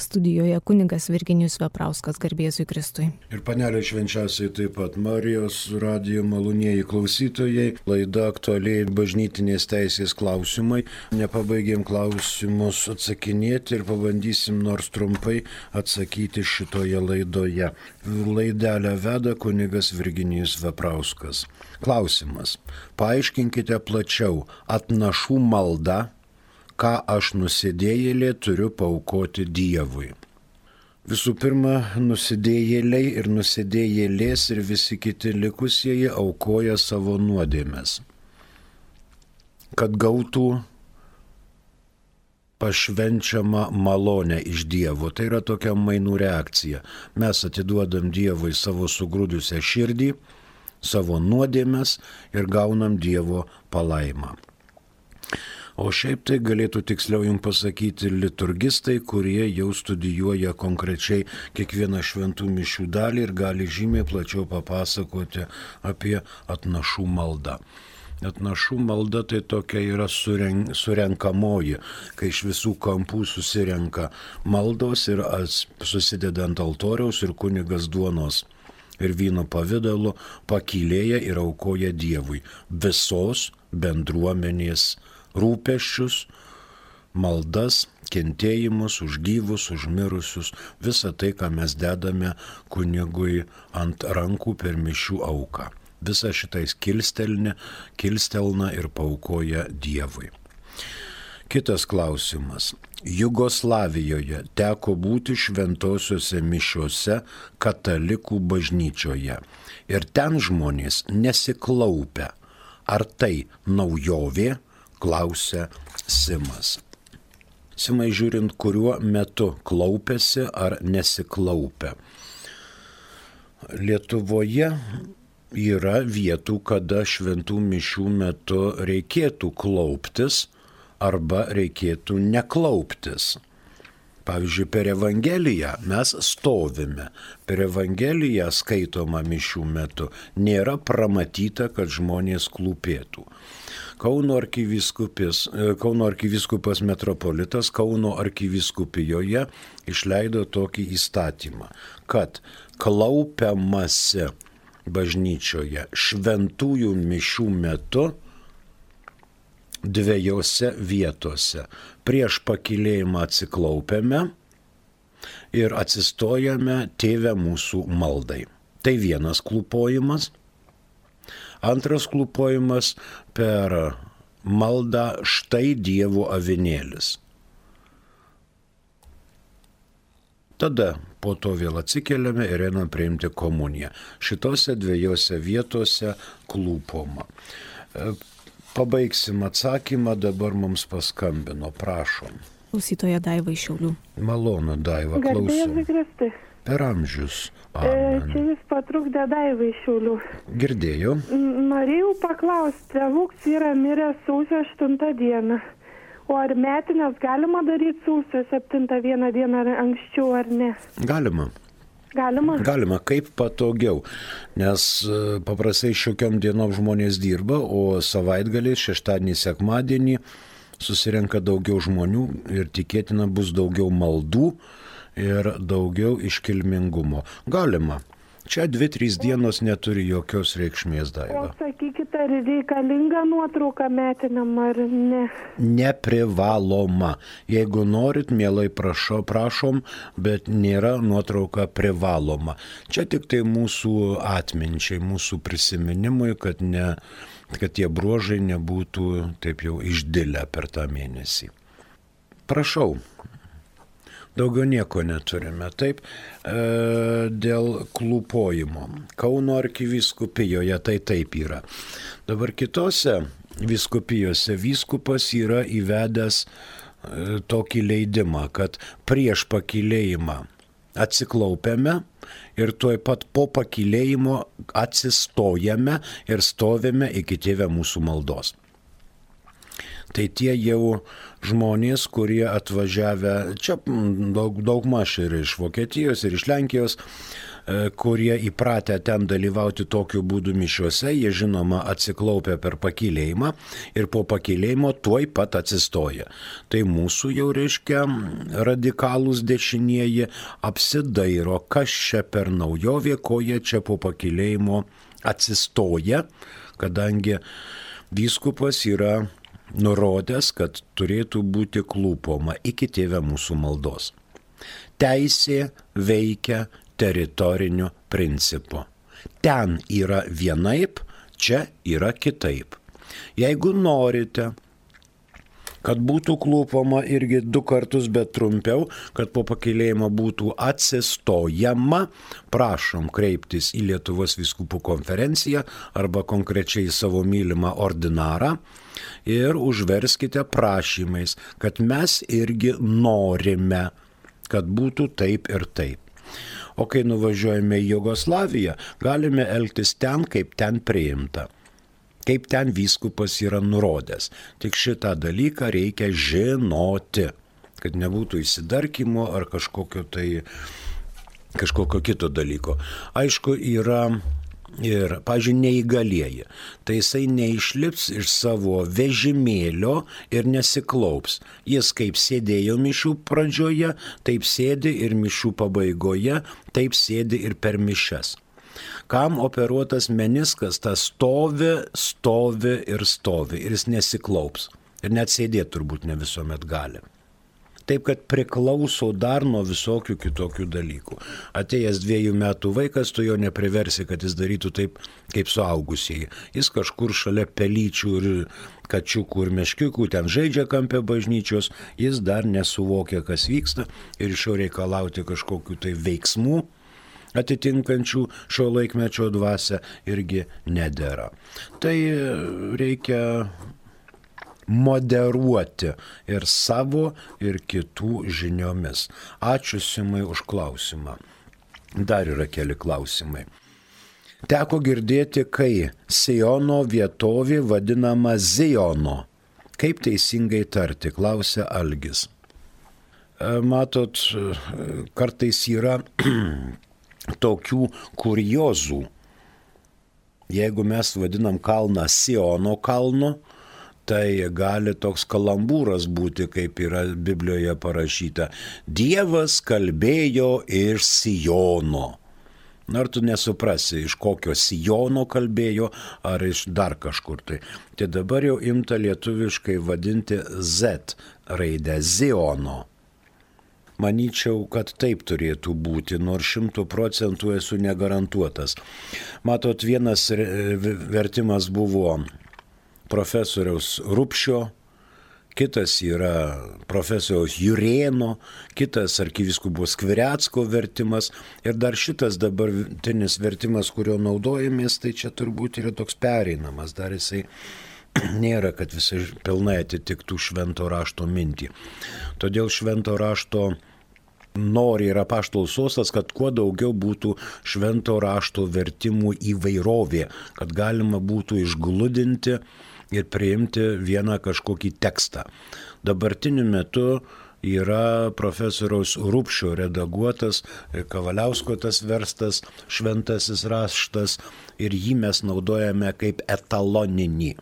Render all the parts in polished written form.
Studijoje kunigas Virginijus Veprauskas, garbė Jėzui Kristui. Ir panelė švenčiausiai taip pat Marijos radijo malonieji klausytojai, laida aktualiai bažnytinės teisės klausimai. Nepabaigėm klausimus atsakinėti ir pabandysim nors trumpai atsakyti šitoje laidoje. Laidelę veda kunigas Virginijus Veprauskas. Klausimas. Paaiškinkite plačiau, atnašų malda, ką aš nusidėjėlė turiu paaukoti Dievui. Visų pirma, nusidėjėliai ir nusidėjėlės ir visi kiti likusieji aukoja savo nuodėmes, kad gautų pašvenčiamą malonę iš Dievo. Tai yra tokia mainų reakcija. Mes atiduodam Dievui savo sugrūdusią širdį, savo nuodėmes ir gaunam Dievo palaimą. O šiaip tai galėtų tiksliau jums pasakyti liturgistai, kurie jau studijuoja konkrečiai kiekvieną šventų mišių dalį ir gali žymiai plačiau papasakoti apie atnašų maldą. Atnašų malda tai tokia yra surenkamoji, kai iš visų kampų susirenka maldos ir susideda ant altoriaus ir kunigas duonos ir vyno pavidalu pakylėja ir aukoja Dievui visos bendruomenės rūpesčius, maldas, kentėjimus už gyvus, už mirusius, visą tai, ką mes dedame kunigui ant rankų per mišių auką. Visą šitais kilstelna ir paaukoja Dievui. Kitas klausimas. Jugoslavijoje teko būti šventosiuose mišiuose katalikų bažnyčioje ir ten žmonės nesiklaupia. Ar tai naujovė? Klausia Simas. Simai, žiūrint, kuriuo metu klaupiasi ar nesiklaupia. Lietuvoje yra vietų, kada šventų mišių metu reikėtų klauptis arba reikėtų neklauptis. Pavyzdžiui, per Evangeliją mes stovime. Per Evangeliją skaitoma mišių metu. Nėra pramatyta, kad žmonės klūpėtų. Kauno arkivyskupas metropolitas Kauno arkivyskupijoje išleido tokį įstatymą, kad klaupiamasi bažnyčioje šventųjų mišių metu dviejose vietose. Prieš pakylėjimą atsiklaupiame ir atsistojame Tėve mūsų maldai. Tai vienas klūpojimas. Antras klūpojimas per maldą Štai Dievo avinėlis. Tada po to vėl atsikeliame ir einam priimti komuniją. Šitose dviejose vietose klūpoma. Pabaigsim atsakymą, dabar mums paskambino, prašom. Klausytoja Daiva iš Šiaulių. Malonu, Daiva, klausom. Per amžius. Amen. Čia jis patrukdė Daivai iš Šiaulių. Girdėjau. Norėjau paklausti, tėvuks yra miręs sausio 8 dieną. O ar metinės galima daryti sausio 7 dieną ar anksčiau ar ne? Galima. Galima? Galima, kaip patogiau. Nes paprastai šiokiom dienom žmonės dirba, o savaitgalį, šeštadienį, sekmadienį susirenka daugiau žmonių ir tikėtina bus daugiau maldų ir daugiau iškilmingumo. Galima. Čia 2-3 dienos neturi jokios reikšmės, Daiva. O sakykite, ar reikalinga nuotrauka metiniam ar ne? Neprivaloma. Jeigu norit, mielai prašom, bet nėra nuotrauka privaloma. Čia tik tai mūsų atminčiai, mūsų prisiminimui, kad tie bruožai nebūtų taip jau išdilę per tą mėnesį. Prašau. Daugiau nieko neturime. Taip, dėl klūpojimo. Kauno arkivyskupijoje tai taip yra. Dabar kitose vyskupijose vyskupas yra įvedęs tokį leidimą, kad prieš pakylėjimą atsiklaupiame ir tuoj pat po pakylėjimo atsistojame ir stovime iki Tėve mūsų maldos. Tai tie jau žmonės, kurie atvažiavę, čia daugmaž ir iš Vokietijos, ir iš Lenkijos, kurie įpratę ten dalyvauti tokiu būdu mišiuose, jie žinoma atsiklaupia per pakylėjimą ir po pakylėjimo tuoj pat atsistoja. Tai mūsų jau reiškia radikalūs dešinieji apsidairo, kas čia per naujovė, ko jie čia po pakylėjimo atsistoja, kadangi vyskupas yra nurodęs, kad turėtų būti klūpoma iki Tėve mūsų maldos. Teisė veikia teritoriniu principu. Ten yra vienaip, čia yra kitaip. Jeigu norite, kad būtų klūpama irgi 2 kartus, bet trumpiau, kad po pakylėjimo būtų atsistojama, prašom kreiptis į Lietuvos vyskupų konferenciją arba konkrečiai savo mylimą ordinarą ir užverskite prašymais, kad mes irgi norime, kad būtų taip ir taip. O kai nuvažiuojame į Jugoslaviją, galime elgtis ten, kaip ten priimta, kaip ten vyskupas yra nurodęs. Tik šitą dalyką reikia žinoti, kad nebūtų įsidarkymo ar kažkokio kito dalyko. Aišku, yra ir, pavyzdžiui, neįgalieji. Tai jisai neišlips iš savo vežimėlio ir nesiklaups. Jis kaip sėdėjo mišių pradžioje, taip sėdi ir mišių pabaigoje, taip sėdi ir per mišias. Kam operuotas meniskas, tas stovi ir jis nesiklaups. Ir net sėdėti turbūt ne visuomet gali. Taip, kad priklauso dar nuo visokių kitokių dalykų. Atėjęs 2 metų vaikas, tu jo nepriversi, kad jis darytų taip, kaip suaugusieji. Jis kažkur šalia pelyčių ir kačiukų ir meškiukų ten žaidžia kampė bažnyčios, jis dar nesuvokia, kas vyksta ir iš jo reikalauti kažkokių tai veiksmų atitinkančių šio laikmečio dvasią irgi nedera. Tai reikia moderuoti ir savo, ir kitų žiniomis. Ačiū Simai už klausimą. Dar yra keli klausimai. Teko girdėti, kai Siono vietovė vadinama Ziono. Kaip teisingai tarti, klausia Algis. Matot, kartais yra tokių kuriozų. Jeigu mes vadinam kalną Siono kalnu, tai gali toks kalambūras būti, kaip yra Biblijoje parašyta. Dievas kalbėjo iš Siono. Ar tu nesuprasi, iš kokio Siono kalbėjo, ar iš dar kažkur tai. Tai dabar jau imta lietuviškai vadinti Z raidę Ziono. Manyčiau, kad taip turėtų būti, nors 100% esu negarantuotas. Matot, vienas vertimas buvo profesoriaus Rupšio, kitas yra profesoriaus Jurėno, kitas arkivyskupo Skvirecko vertimas ir dar šitas dabartinis vertimas, kurio naudojamės, tai čia turbūt yra toks pereinamas, dar jisai nėra, kad visai pilnai atitiktų švento rašto mintį. Todėl švento rašto nori ir apaštalų sostas, kad kuo daugiau būtų švento rašto vertimų įvairovė, kad galima būtų išgludinti ir priimti vieną kažkokį tekstą. Dabartiniu metu yra profesoriaus Rupšio redaguotas, Kavaliausko tas verstas šventasis raštas ir jį mes naudojame kaip etaloninį.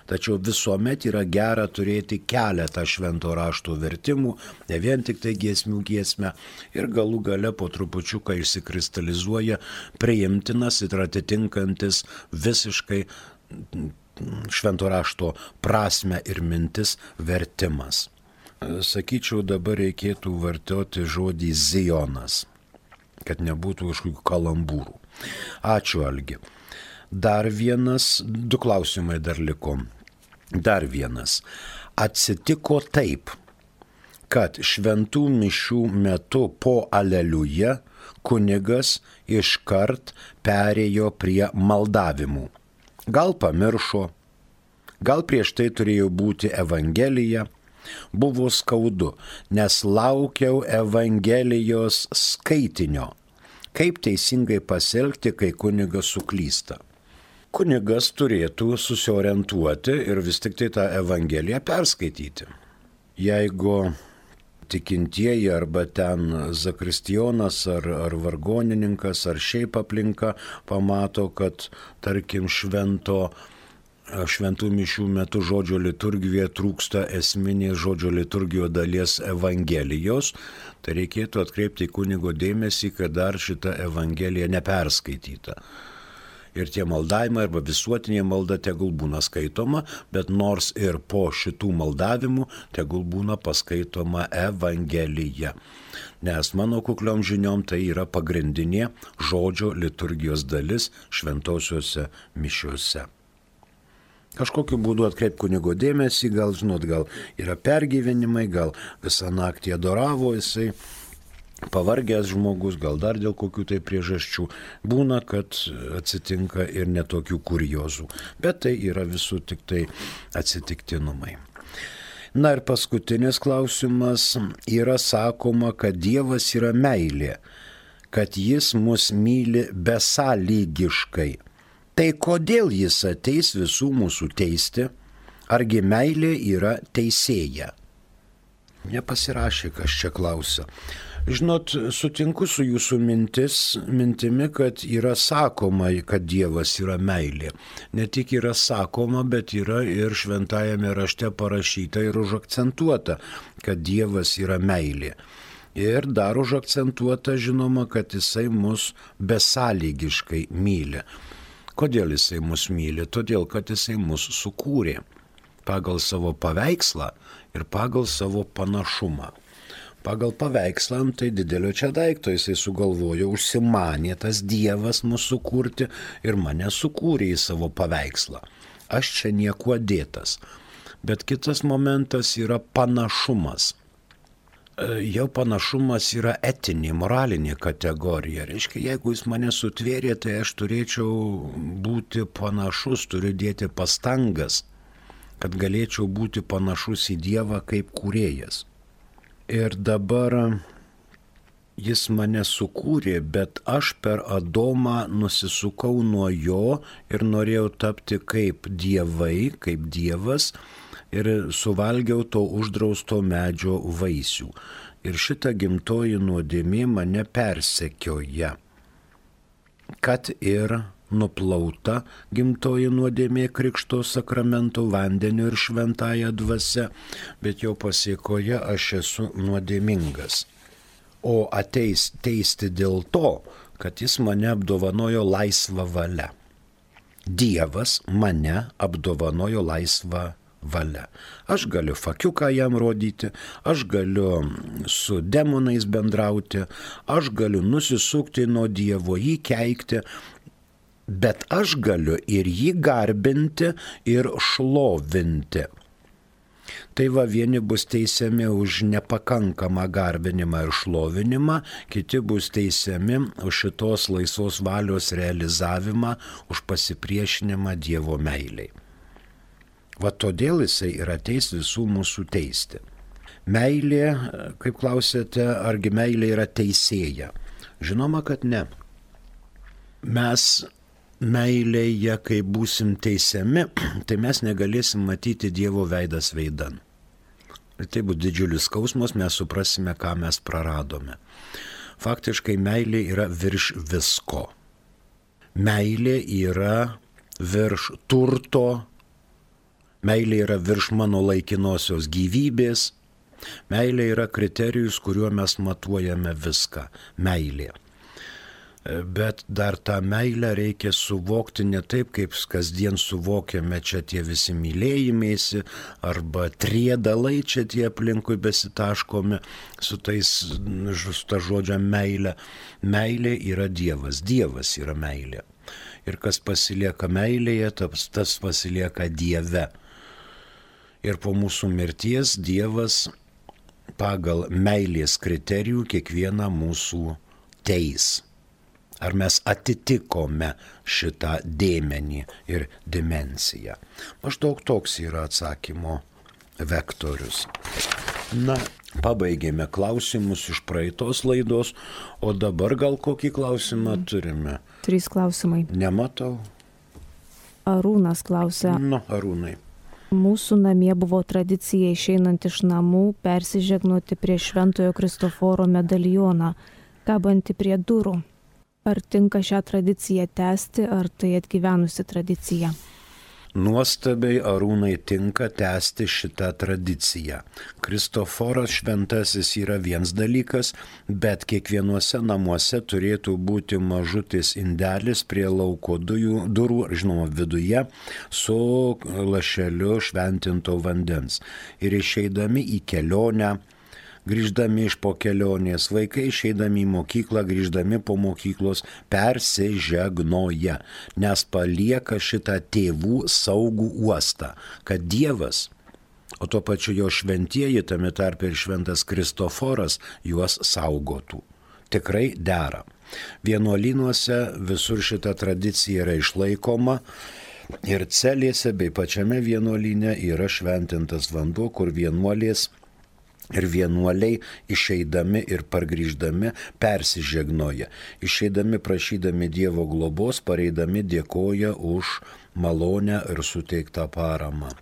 Tačiau visuomet yra gera turėti keletą švento rašto vertimų, ne vien tik tai giesmių giesmę ir galų gale po trupučiuką išsikristalizuoja priimtinas ir atitinkantis visiškai švento rašto prasmę ir mintis vertimas. Sakyčiau, dabar reikėtų vartoti žodį Zionas, kad nebūtų kažkokių kalambūrų. Ačiū, Algi. Dar vienas, 2 klausimai dar liko. Dar vienas. Atsitiko taip, kad šventų mišių metu po Aleliuja kunigas iškart perėjo prie maldavimų. Gal pamiršo, gal prieš tai turėjo būti Evangelija. Buvo skaudu, nes laukiau Evangelijos skaitinio. Kaip teisingai pasielgti, kai kunigas suklysta? Kunigas turėtų susiorientuoti ir vis tik tai tą Evangeliją perskaityti. Jeigu tikintieji arba ten zakristijonas ar vargonininkas ar šiaip aplinka pamato, kad tarkim šventų mišių metu žodžio liturgijoje trūksta esminės žodžio liturgijos dalies Evangelijos, tai reikėtų atkreipti kunigo dėmesį, kad dar šita Evangelija neperskaityta. Ir tie maldavimai arba visuotinė malda tegul būna skaitoma, bet nors ir po šitų maldavimų tegul būna paskaitoma Evangelija. Nes mano kukliom žiniom tai yra pagrindinė žodžio liturgijos dalis šventosiuose mišiuose. Kažkokiu būdu atkreip kunigo dėmesį, gal yra pergyvenimai, gal visą naktį adoravo jisai, pavargęs žmogus, gal dar dėl kokių tai priežasčių. Būna, kad atsitinka ir netokių kuriozų, bet tai yra visų tik tai atsitiktinumai. Na ir paskutinis klausimas. Yra sakoma, kad Dievas yra meilė, kad jis mus myli besąlygiškai. Tai kodėl jis ateis visų mūsų teisti? Argi meilė yra teisėja? Nepasirašė, kas čia klausia. Žinot, sutinku su jūsų mintimi, kad yra sakoma, kad Dievas yra meilė. Ne tik yra sakoma, bet yra ir šventajame rašte parašyta ir užakcentuota, kad Dievas yra meilė. Ir dar užakcentuota, žinoma, kad jisai mus besąlygiškai myli. Kodėl jisai mus myli? Todėl, kad jisai mus sukūrė pagal savo paveikslą ir pagal savo panašumą. Pagal paveikslą, tai didelio čia daikto jisai sugalvojo, užsimanė tas Dievas mūsų kurti ir mane sukūrė į savo paveikslą. Aš čia niekuo dėtas. Bet kitas momentas yra panašumas. Jau panašumas yra etinė, moralinė kategorija. Reiškia, jeigu jis mane sutvėrė, tai aš turėčiau būti panašus, turiu dėti pastangas, kad galėčiau būti panašus į Dievą kaip kūrėjas. Ir dabar jis mane sukūrė, bet aš per Adomą nusisukau nuo jo ir norėjau tapti kaip dievai, kaip Dievas ir suvalgiau to uždrausto medžio vaisių. Ir šita gimtoji nuodėmė mane persekioja, kad ir nuplauta gimtoji nuodėmė krikšto sakramento vandeniu ir šventąja dvasia, bet jo pasiekoje aš esu nuodėmingas. O ateis teisti dėl to, kad jis mane apdovanojo laisvą valią. Dievas mane apdovanojo laisvą valią. Aš galiu fakiuką jam rodyti, aš galiu su demonais bendrauti, aš galiu nusisukti nuo Dievo, jį keikti, bet aš galiu ir jį garbinti ir šlovinti. Tai va, vieni bus teisiami už nepakankamą garbinimą ir šlovinimą, kiti bus teisiami už šitos laisvos valios realizavimą, už pasipriešinimą Dievo meiliai. Va todėl jisai ir ateis visų mūsų teisti. Meilė, kaip klausėte, argi meilė yra teisėja? Žinoma, kad ne. Mes meilėje, kai būsim teisiami, tai mes negalėsim matyti Dievo veidas veidan. Ir tai bus didžiulis skausmas, mes suprasime, ką mes praradome. Faktiškai meilė yra virš visko. Meilė yra virš turto, meilė yra virš mano laikinosios gyvybės, meilė yra kriterijus, kuriuo mes matuojame viską. Meilė. Bet dar tą meilę reikia suvokti ne taip, kaip kasdien suvokiame čia tie visi mylėjimėsi arba triedalai čia tie aplinkui besitaškomi su ta žodžio meilė. Meilė yra Dievas, Dievas yra meilė. Ir kas pasilieka meilėje, tas pasilieka Dieve. Ir po mūsų mirties Dievas pagal meilės kriterijų kiekvieną mūsų teis. Ar mes atitikome šitą dėmenį ir dimensiją? Maždaug toks yra atsakymo vektorius. Na, pabaigėme klausimus iš praeitos laidos, o dabar gal kokį klausimą turime? 3 klausimai. Nematau. Arūnas klausia. Arūnai. Mūsų namie buvo tradicija išeinant iš namų persižegnoti prie Šventojo Kristoforo medalioną, kabantį prie durų. Ar tinka šią tradiciją tęsti, ar tai atgyvenusi tradicija? Nuostabiai, Arūnai, tinka tęsti šitą tradiciją. Kristoforas šventasis yra vienas dalykas, bet kiekvienuose namuose turėtų būti mažutis indelis prie lauko durų, žinoma, viduje, su lašeliu šventinto vandens. Ir išeidami į kelionę, grįždami iš po kelionės, vaikai išeidami į mokyklą, grįždami po mokyklos, persižegnoja, nes palieka šitą tėvų saugų uostą, kad Dievas, o tuo pačiu jo šventieji, tame tarpe ir šventas Kristoforas, juos saugotų. Tikrai dera. Vienuolynuose visur šita tradicija yra išlaikoma. Ir celėse bei pačiame vienuolyne yra šventintas vanduo, kur vienuolės ir vienuoliai išeidami ir pargrįždami persižegnoja. Išeidami prašydami Dievo globos, pareidami dėkoja už malonę ir suteiktą paramą,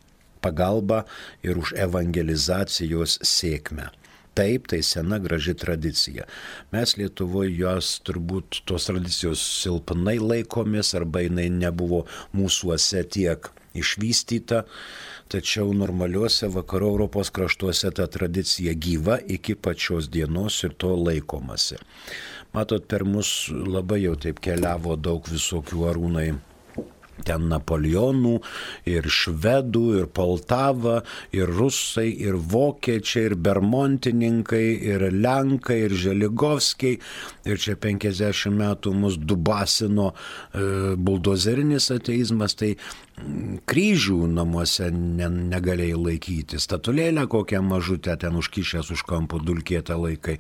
pagalbą ir už evangelizacijos sėkmę. Taip, tai sena graži tradicija. Mes Lietuvoje jos turbūt tos tradicijos silpnai laikomės arba jinai nebuvo mūsuose tiek išvystyta. Tačiau normaliuose vakarų Europos kraštuose ta tradicija gyva iki pačios dienos ir to laikomasi. Matot, per mus labai jau taip keliavo daug visokių, Arūnai, ten Napoleonų, ir švedų, ir Poltava, ir rusai, ir vokiečiai, ir bermontininkai, ir lenkai, ir Želigovskiai. Ir čia 50 metų mus dubasino buldozerinis ateizmas, tai kryžių namuose negalėjai laikyti. Statulėlę kokią mažutę ten užkišęs už kampo dulkėtą laikai.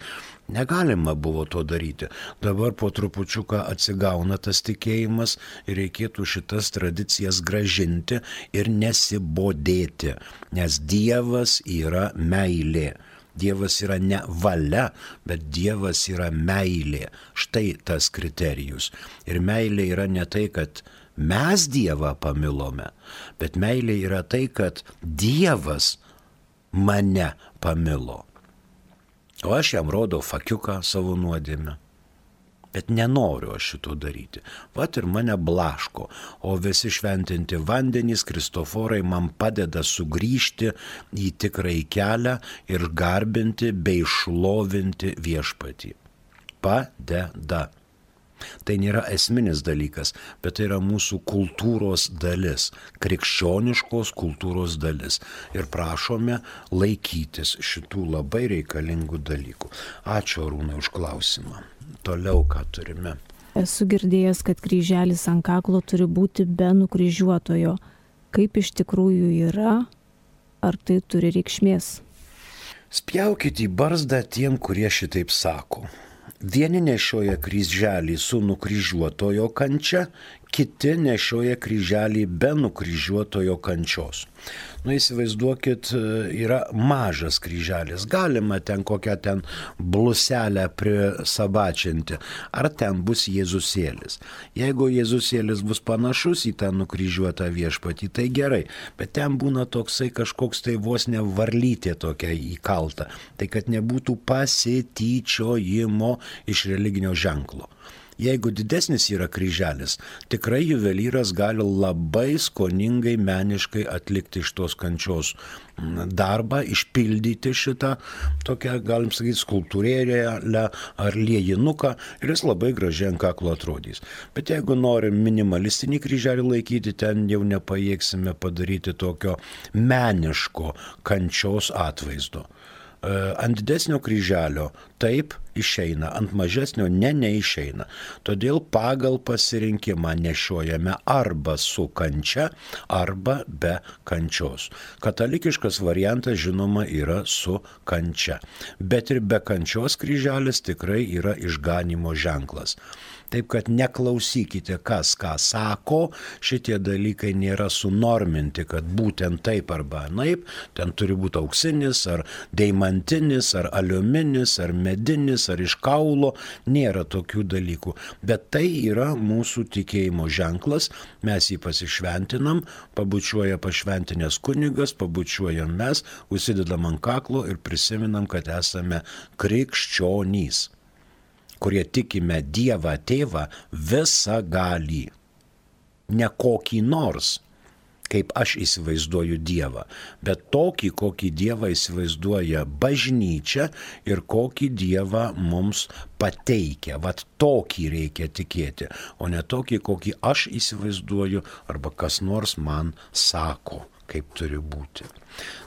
Negalima buvo to daryti. Dabar po trupučiuką atsigauna tas tikėjimas ir reikėtų šitas tradicijas gražinti ir nesibodėti, nes Dievas yra meilė. Dievas yra ne valia, bet Dievas yra meilė. Štai tas kriterijus. Ir meilė yra ne tai, kad mes Dievą pamilome, bet meilė yra tai, kad Dievas mane pamilo. O aš jam rodau fakiuką savo nuodėmę. Bet nenoriu aš šito daryti. Vat ir mane blaško. O visi šventinti vandenys, Kristoforai man padeda sugrįžti į tikrąjį kelią ir garbinti bei šlovinti viešpatį. Padeda. Tai nėra esminis dalykas, bet tai yra mūsų kultūros dalis, krikščioniškos kultūros dalis. Ir prašome laikytis šitų labai reikalingų dalykų. Ačiū, Arūnai, už klausimą. Toliau ką turime? Esu girdėjęs, kad kryželis ant kaklo turi būti be nukryžiuotojo. Kaip iš tikrųjų yra? Ar tai turi reikšmės? Spjaukit į barzdą tiem, kurie šitaip sako. Vieni nešioja kryželį su nukryžiuotojo kančia, kiti nešioja kryželį be nukryžiuotojo kančios. Įsivaizduokit, yra mažas kryželis, galima ten kokią ten bluselę prisabačinti, ar ten bus Jėzusėlis. Jeigu Jėzusėlis bus panašus į tą nukryžiuotą viešpatį, tai gerai, bet ten būna toksai kažkoks tai vos ne varlytė tokia įkalta, tai kad nebūtų pasityčiojimo iš religinio ženklo. Jeigu didesnis yra kryželis, tikrai juvelyras gali labai skoningai, meniškai atlikti iš tos kančios darbą, išpildyti šitą tokią, galim sakyti, skulptūrėlę ar liejinuką ir jis labai gražiai ant kaklo atrodys. Bet jeigu norim minimalistinį kryželį laikyti, ten jau nepajėgsime padaryti tokio meniško kančios atvaizdo. Ant didesnio kryželio taip išeina, ant mažesnio neišeina. Todėl pagal pasirinkimą nešiojame arba su kančia, arba be kančios. Katalikiškas variantas, žinoma, yra su kančia. Bet ir be kančios kryželis tikrai yra išganymo ženklas. Taip kad neklausykite, kas ką sako, šitie dalykai nėra sunorminti, kad būtent taip arba anaip, ten turi būti auksinis, ar deimantinis, ar aliuminis, ar medinis ar iš kaulo, nėra tokių dalykų. Bet tai yra mūsų tikėjimo ženklas, mes jį pasišventinam, pabučiuoja pašventinės kunigas, pabučiuojam mes, užsidedam ant kaklo ir prisiminam, kad esame krikščionys, kurie tikime Dievą Tėvą visagalį. Ne kokį nors, kaip aš įsivaizduoju Dievą, bet tokį, kokį Dievą įsivaizduoja bažnyčia ir kokį Dievą mums pateikia. Vat tokį reikia tikėti, o ne tokį, kokį aš įsivaizduoju arba kas nors man sako, kaip turi būti.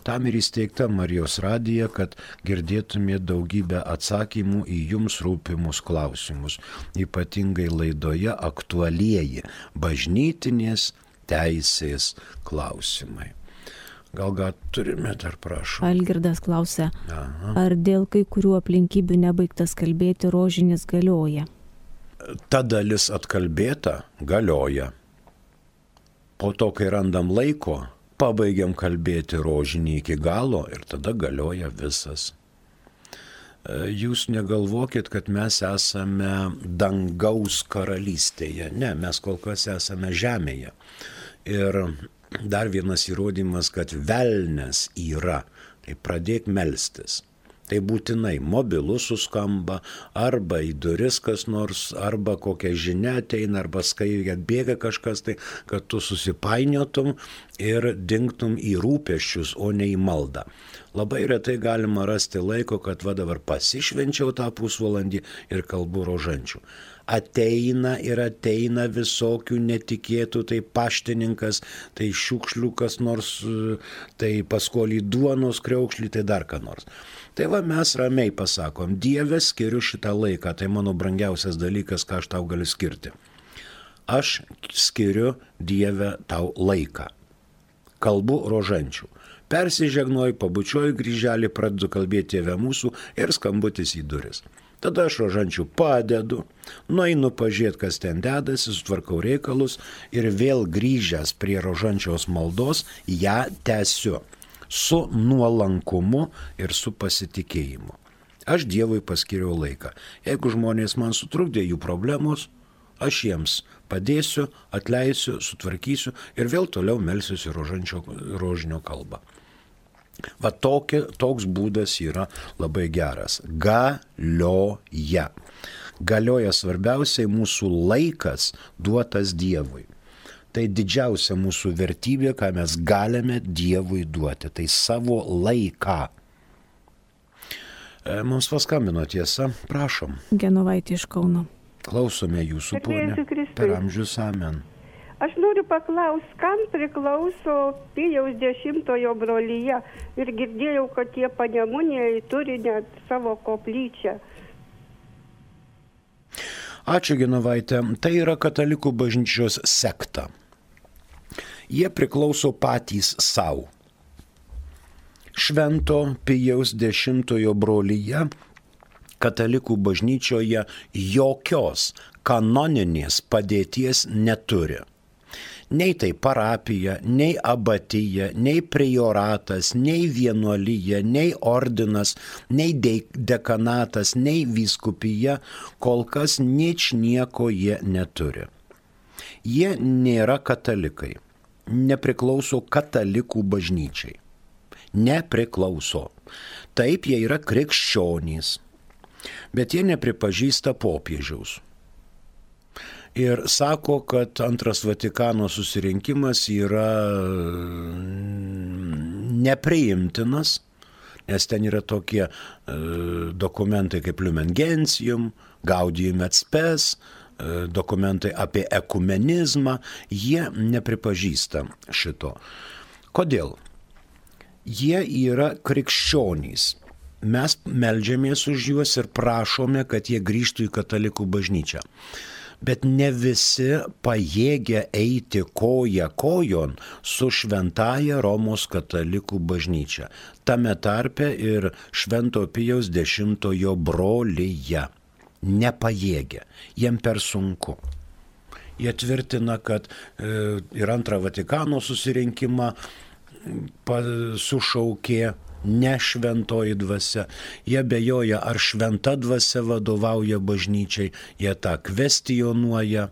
Tam ir įsteigta Marijos radija, kad girdėtumėte daugybę atsakymų į jums rūpimus klausimus, ypatingai laidoje aktualieji bažnytinės teisės klausimai. Gal turime dar, prašau. Algirdas klausia, ar dėl kai kurių aplinkybių nebaigtas kalbėti rožinis galioja? Ta dalis atkalbėta galioja. Po to, kai randam laiko, pabaigiam kalbėti rožinį iki galo ir tada galioja visas. Jūs negalvokit, kad mes esame dangaus karalystėje. Ne, mes kol kas esame žemėje. Ir dar vienas įrodymas, kad velnias yra. Tai pradėk melstis. Tai būtinai mobilus suskamba, arba į duris kas nors, arba kokia žinia ateina, arba skaičiai atbėga kažkas, tai kad tu susipainiotum ir dingtum į rūpesčius, o ne į maldą. Labai retai galima rasti laiko, kad va dabar pasišvenčiau tą pusvalandį ir kalbu rožančių. Ateina ir ateina visokių netikėtų, tai paštininkas, tai šiukšliukas nors, tai paskolį duonos kriaukšlį, tai dar ką nors. Tai va mes ramiai pasakom, Dieve, skiriu šitą laiką, tai mano brangiausias dalykas, ką aš tau galiu skirti. Aš skiriu, Dieve, tau laiką. Kalbu rožančių. Persižegnoju, pabučiuoju kryželį, pradedu kalbėti Tėve mūsų ir skambutis į duris. Tada aš rožančių padedu, nueinu pažiūrėti, kas ten dedasi, sutvarkau reikalus ir vėl grįžęs prie rožančiaus maldos ją tęsiu su nuolankumu ir su pasitikėjimu. Aš Dievui paskiriau laiką. Jeigu žmonės man sutrukdė jų problemos, aš jiems padėsiu, atleisiu, sutvarkysiu ir vėl toliau melsiuosi rožinio kalbą. Va toks būdas yra labai geras. Galioja. Galioja svarbiausiai mūsų laikas duotas Dievui. Tai didžiausia mūsų vertybė, ką mes galime Dievui duoti. Tai savo laiką. Mums paskambino, tiesa, prašom. Genovaitė iš Kauno. Klausome jūsų, ponė. Per amžius, amen. Aš noriu paklausti, kam priklauso Pijaus X brolyje ir girdėjau, kad tie Panemunėje turi net savo koplyčią. Ačiū, Genovaitė. Tai yra katalikų bažnyčios sekta. Jie priklauso patys savo. Švento Pijaus X brolyje katalikų bažnyčioje jokios kanoninės padėties neturi. Nei tai parapija, nei abatija, nei prioratas, nei vienuolyja, nei ordinas, nei dekanatas, nei vyskupija, kol kas nieko jie neturi. Jie nėra katalikai, nepriklauso katalikų bažnyčiai. Nepriklauso. Taip, jie yra krikščionys, bet jie nepripažįsta popiežiaus. Ir sako, kad Antras Vatikano susirinkimas yra nepriimtinas, nes ten yra tokie dokumentai kaip Lumen Gentium, Gaudium et Spes, dokumentai apie ekumenizmą, jie nepripažįsta šito. Kodėl? Jie yra krikščionys. Mes meldžiamės už juos ir prašome, kad jie grįžtų į katalikų bažnyčią. Bet ne visi pajėgia eiti koja kojon su šventaja Romos katalikų bažnyčia. Tame tarpe ir Švento Pijaus X brolyje. Nepajėgia. Jiem per sunku. Jie tvirtina, kad ir Antrą Vatikano susirinkimą sušaukė ne šventoji dvasia. Jie abejoja, ar šventa dvasia vadovauja bažnyčiai, jie tą kvestionuoja.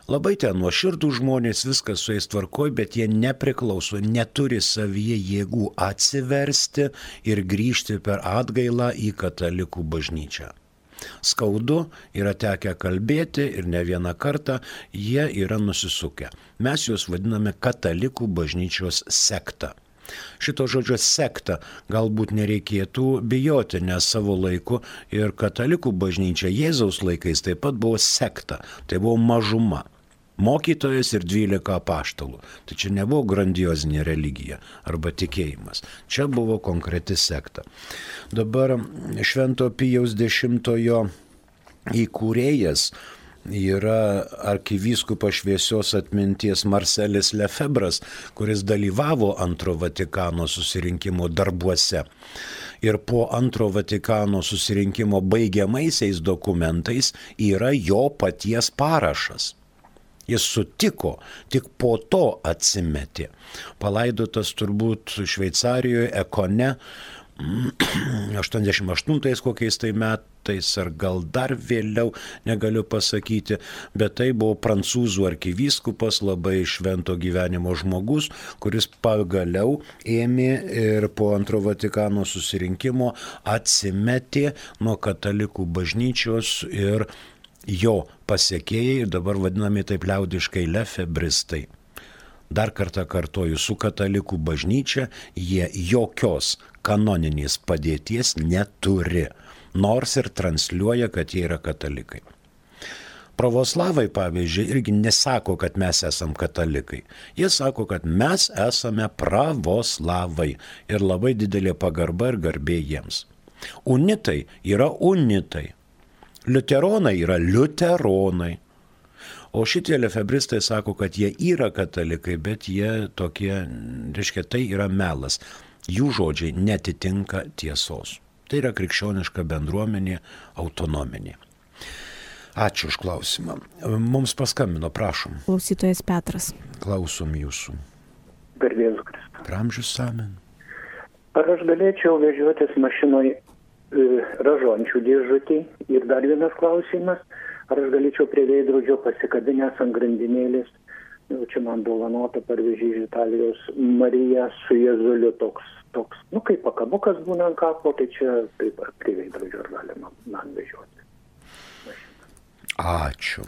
Labai ten nuoširdų žmonės, viskas su jais tvarkoj, bet jie nepriklauso, neturi savyje jėgų atsiversti ir grįžti per atgailą į katalikų bažnyčią. Skaudu, yra tekę kalbėti ir ne vieną kartą jie yra nusisukę. Mes juos vadiname katalikų bažnyčios sekta. Šito žodžio sekta galbūt nereikėtų bijoti, nes savo laiku ir katalikų bažnyčia Jėzaus laikais taip pat buvo sekta, tai buvo mažuma. Mokytojas ir 12 apaštalų. Tai čia nebuvo grandiozinė religija arba tikėjimas. Čia buvo konkreti sekta. Dabar Švento Pijaus X įkūrėjas yra arkivyskupas šviesios atminties Marselis Lefebras, kuris dalyvavo Antro Vatikano susirinkimo darbuose. Ir po Antro Vatikano susirinkimo baigiamaisiais dokumentais yra jo paties parašas. Jis sutiko, tik po to atsimetė. Palaidotas turbūt Šveicarijoje, Ekone, 88 kokiais tai metais, ar gal dar vėliau, negaliu pasakyti, bet tai buvo prancūzų arkivyskupas, labai švento gyvenimo žmogus, kuris pagaliau ėmė ir po Antro Vatikano susirinkimo atsimetė nuo katalikų bažnyčios ir jo pasekėjai, dabar vadinami taip liaudiškai lefebristai. Dar kartą kartoju, su katalikų bažnyčia jie jokios kanoninės padėties neturi, nors ir transliuoja, kad jie yra katalikai. Pravoslavai, pavyzdžiui, irgi nesako, kad mes esam katalikai. Jie sako, kad mes esame pravoslavai ir labai didelė pagarba ir garbė jiems. Unitai yra unitai. Liuteronai yra liuteronai. O šitie lefebristai sako, kad jie yra katalikai, bet jie tokie, reiškia, tai yra melas. Jų žodžiai netitinka tiesos. Tai yra krikščioniška bendruomenė, autonominė. Ačiū už klausimą. Mums paskambino, prašom. Klausytojas Petras. Klausom jūsų. Garbės Kristus. Pramžius amen. Ar aš galėčiau vežiotis mašinoje ražančių dėžutį? Ir dar vienas klausimas, ar aš galėčiau prie veidrodžio pasikabinęs ant grandinėlės, jau čia man dovanota parvežė iš Italijos, Marija su Jėzuliu toks, kaip pakabukas būna ant kapo, tai čia taip prie veidrodžio ar galima man vežioti. Ačiū.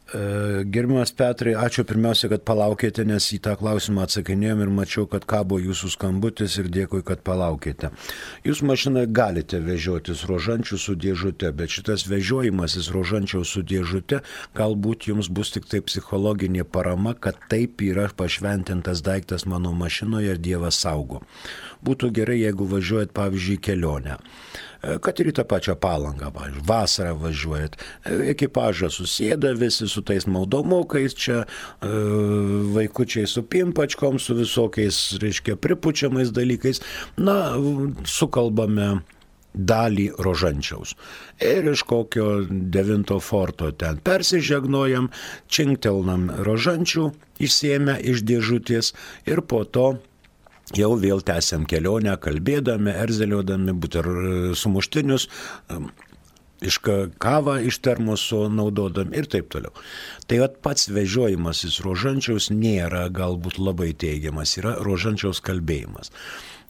Gerbiamas Petrai, ačiū pirmiausia, kad palaukėte, nes į tą klausimą atsakinėjom ir mačiau, kad kabo jūsų skambutis ir dėkui, kad palaukėte. Jūs mašinoje galite vežiotis rožančių su dėžute, bet šitas vežiojimasis rožančiaus su dėžute galbūt jums bus tik tai psichologinė parama, kad taip yra pašventintas daiktas mano mašinoje ir Dievas saugo. Būtų gerai, jeigu važiuojat, pavyzdžiui, kelionę. Kad ir į tą pačią Palangą, vasarą važiuojat, ekipažą susėda visi su tais maudomukais, čia vaikučiai su pimpačkom, su visokiais, reiškia, pripučiamais dalykais, sukalbame dalį rožančiaus. Ir iš kokio 9 forto ten persižegnojam, činktelnam rožančių, išsiėmę iš dėžutės ir po to jau vėl tęsiam kelionę, kalbėdami, erzeliodami, sumuštinius, kavą iš termoso naudodami ir taip toliau. Tai pats vežiojimasis rožančiaus nėra galbūt labai teigiamas, yra rožančiaus kalbėjimas.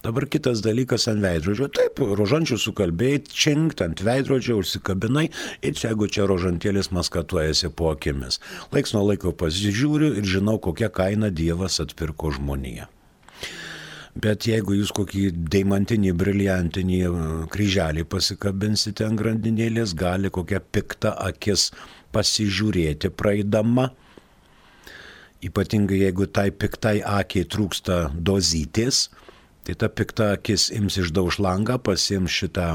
Dabar kitas dalykas ant veidrodžio. Taip, rožančių sukalbėjai, činkt ant veidrodžio, užsikabinai ir jeigu čia rožantėlis maskatuojasi po akimis. Laiks nuo laiko pasižiūriu ir žinau, kokią kainą Dievas atpirko žmoniją. Bet jeigu jūs kokį deimantinį, briliantinį kryželį pasikabinsite ant grandinėlės, gali kokia pikta akis pasižiūrėti praeidama. Ypatingai jeigu tai piktai akiai trūksta dozytės, tai ta pikta akis ims išdauž langą, pasiims šitą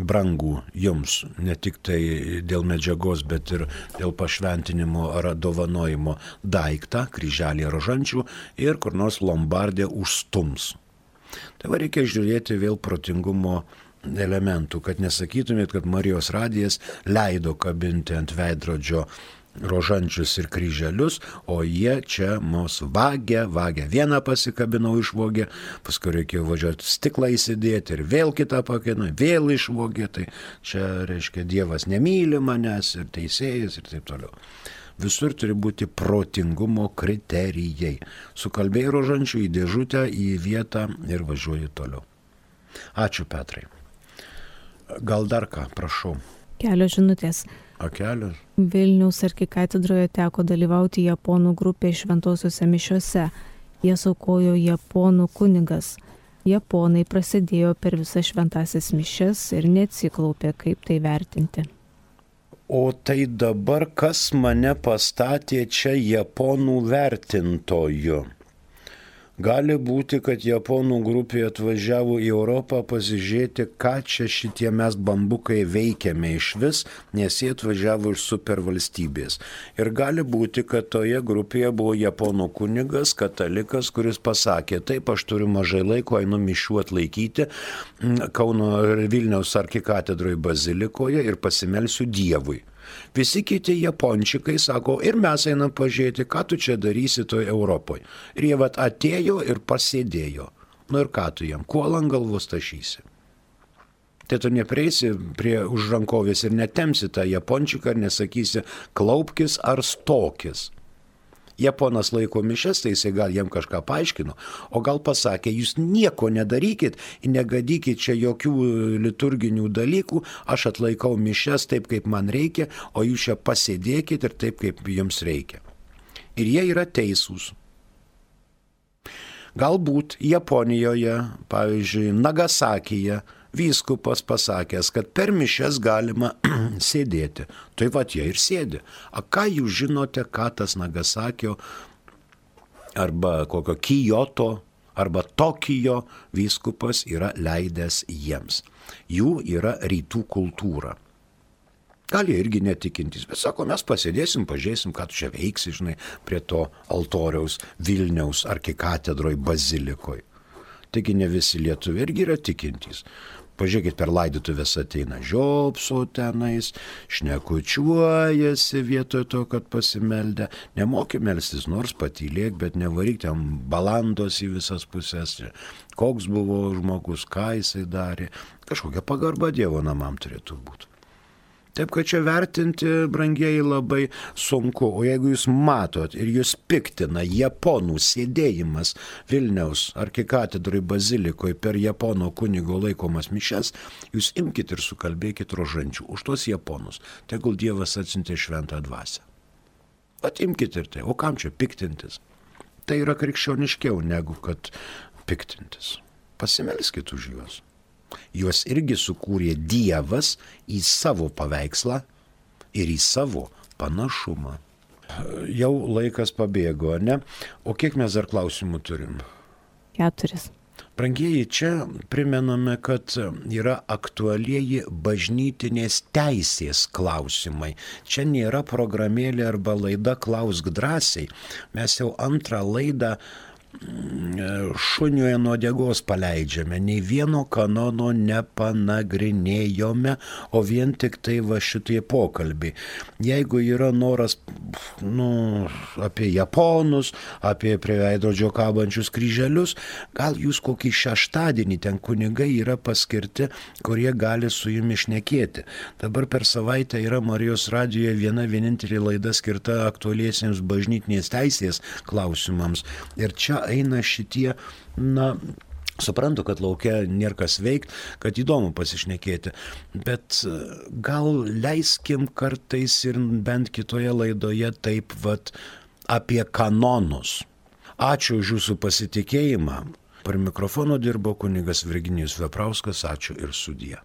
brangų jums, ne tik tai dėl medžiagos, bet ir dėl pašventinimo ar dovanojimo daiktą, kryželį rožančių ir kur nors lombardė užstums. Tai reikia žiūrėti vėl protingumo elementų, kad nesakytumėt, kad Marijos radijas leido kabinti ant veidrodžio rožančius ir kryželius, o jie čia mus vagia. Vieną pasikabinau išvogė, paskui reikėjo važiuoti stiklą įsidėti ir vėl kitą pakabinau, vėl išvogė. Tai čia reiškia Dievas nemyli manęs ir teisėjas ir taip toliau. Visur turi būti protingumo kriterijai. Sukalbėjai rožančių į dėžutę, į vietą ir važiuoji toliau. Ačiū, Petrai. Gal dar ką, prašau. Kelios žinutės. Kelios. Vilniaus arkikatedroje teko dalyvauti japonų grupės šventosiuose mišiuose. Jas aukojo japonų kunigas. Japonai prasidėjo per visas šventąsias mišias ir neatsiklaupė, kaip tai vertinti. O tai dabar kas mane pastatė čia japonų vertintoju? Gali būti, kad japonų grupė atvažiavo į Europą pasižiūrėti, ką čia šitie mes bambukai veikiame iš vis, nes jie atvažiavo iš supervalstybės. Ir gali būti, kad toje grupėje buvo japonų kunigas, katalikas, kuris pasakė, taip, aš turiu mažai laiko, einu mišių atlaikyti Kauno ir Vilniaus arkikatedroje bazilikoje ir pasimelsiu Dievui. Visi kiti japončikai sako, ir mes einam pažiūrėti, ką tu čia darysi toje Europoje. Ir jie atėjo ir pasėdėjo. Nu ir ką tu jam, kuolą ant galvos tašysi. Tai tu neprieisi prie užrankovės ir netemsi tą japončiką ir nesakysi, klaupkis ar stokis. Japonas laiko mišias, tai jisai gal jam kažką paaiškino, o gal pasakė, jūs nieko nedarykit, negadykit čia jokių liturginių dalykų, aš atlaikau mišias taip, kaip man reikia, o jūs čia pasėdėkit ir taip, kaip jums reikia. Ir jie yra teisūs. Galbūt Japonijoje, pavyzdžiui, Nagasakyje, vyskupas pasakęs, kad per mišias galima sėdėti. Tai jie ir sėdi. A ką jūs žinote, ką tas Nagasakio arba kokio Kyoto arba Tokijo vyskupas yra leidęs jiems? Jų yra rytų kultūra. Gal jie irgi netikintys, bet sako, mes pasėdėsim, pažiūrėsim, ką tu čia veiksi, žinai, prie to altoriaus Vilniaus arkikatedroj bazilikoje. Taigi ne visi lietuviai irgi yra tikintys. Pažiūrėkit, per laidotuvės ateina žiopso tenais, šnekučiuojasi vietoj to, kad pasimeldę. Nemoki melstis, nors patylėk, bet nevaryk ten balandos į visas pusės. Koks buvo žmogus, ką jisai darė. Kažkokia pagarba Dievo namam turėtų būti. Taip, kad čia vertinti, brangieji, labai sunku. O jeigu jūs matot ir jūs piktina japonų sėdėjimas Vilniaus arkikatedroj bazilikoje per japono kunigo laikomas mišias, jūs imkite ir sukalbėkit rožančių už tos japonus. Tegul Dievas atsiuntė šventą dvasią. Imkite ir tai. O kam čia piktintis? Tai yra krikščioniškiau negu kad piktintis. Pasimelskit už juos. Juos irgi sukūrė Dievas į savo paveikslą ir į savo panašumą. Jau laikas pabėgo, ne? O kiek mes dar klausimų turim? 4. Brangieji, čia primename, kad yra aktualieji bažnytinės teisės klausimai. Čia nėra programėlė arba laida Klausk drąsiai. Mes jau antrą laidą šuniuje nuo uodegos paleidžiame, nei vieno kanono nepanagrinėjome, o vien tik tai šitie pokalbiai. Jeigu yra noras apie japonus, apie prie veidrodžio kabančius kryželius, gal jūs kokį šeštadienį ten kunigai yra paskirti, kurie gali su jumis šnekėti. Dabar per savaitę yra Marijos radijoje viena vienintelė laida skirta aktualiesiems bažnytinės teisės klausimams. Ir čia eina šitie, suprantu, kad laukia nėra kas veikti, kad įdomu pasišnekėti, bet gal leiskim kartais ir bent kitoje laidoje taip apie kanonus. Ačiū už jūsų pasitikėjimą. Prie mikrofono dirbo kunigas Virginijus Veprauskas, ačiū ir sudie.